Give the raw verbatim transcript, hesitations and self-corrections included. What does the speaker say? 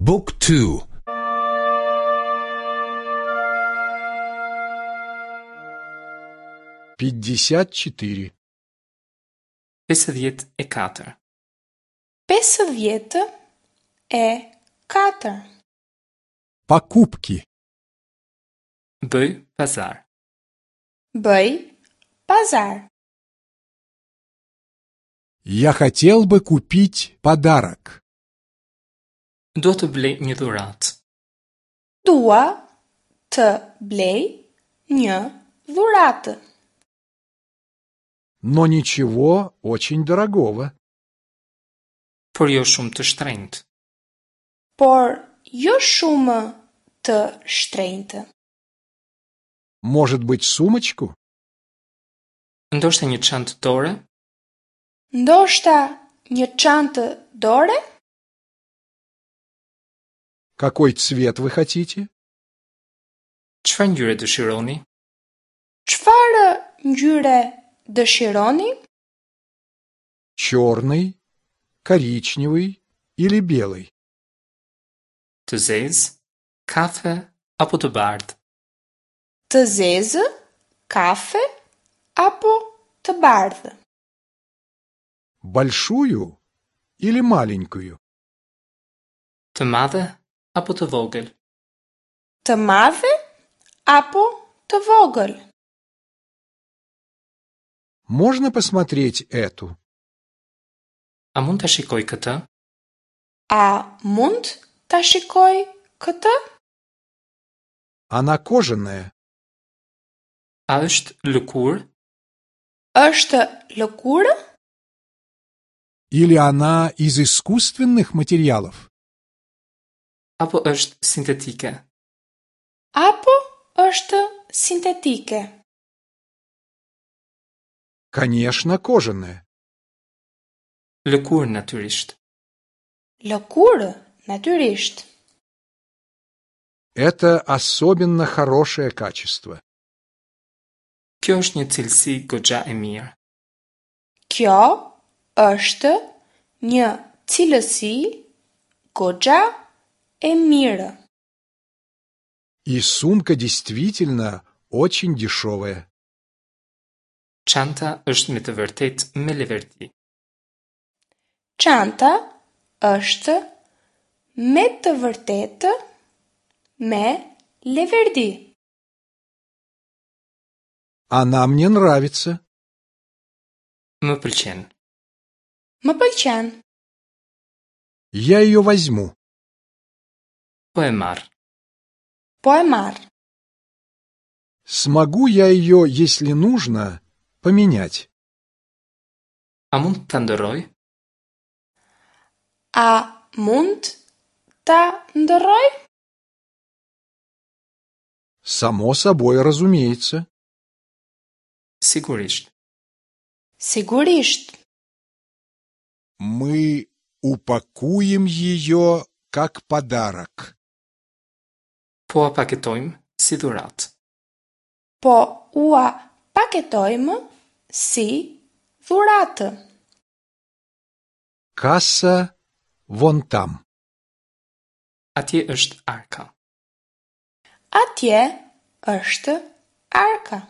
Book two. Пятьдесят четыре. Pesëdhjetë e katër. Pesëdhjetë e katër. Покупки. Bëj pazar. Bëj pazar. Я хотел бы купить подарок. Dua të blej një dhuratë. Dua të blej një dhuratë. Но ничего очень дорогого. Por jo shumë të shtrenjtë. Por jo shumë të shtrenjtë. Может быть, сумочку? Ndoshta një çantë dore? Ndoshta një çantë dore? Какой цвет вы хотите? Çfarë ngjyre dëshironi? Çfarë ngjyre dëshironi? Черный, коричневый или белый? Të zezë, kafe apo të bardhë? Të zezë, kafe apo të bardhë? Большую или маленькую? Të madhe apo të vogël? Të madhe apo të vogël? Можно посмотреть эту? A mund ta shikoj këtë? A mund ta shikoj këtë? Она кожаная. A është lëkurë? Është lëkurë? Или она из искусственных материалов? Apo është sintetike? Apo është sintetike? Конечно, кожаная. Lëkurë natyrisht. Lëkurë natyrisht. Это особенно хорошее качество. Kjo është një cilësi goxha e mirë. Kjo është një cilësi goxha e mirë. И сумка действительно очень дешевая. Çanta është me të vërtetë me leverdi. Çanta është me të vërtetë me leverdi. Она мне нравится. Më pëlqen. Më pëlqen. Я ее возьму. Po e marr. Po e marr. Смогу я ее, если нужно, поменять? A mund ta ndërroj? A mund ta ndërroj? Само собой разумеется. Sigurisht. Sigurisht. Мы упакуем ее как подарок. Po a paketojmë si dhuratë. Po ua paketojmë si dhuratë. Касса вон там. Atje është arka. Atje është arka.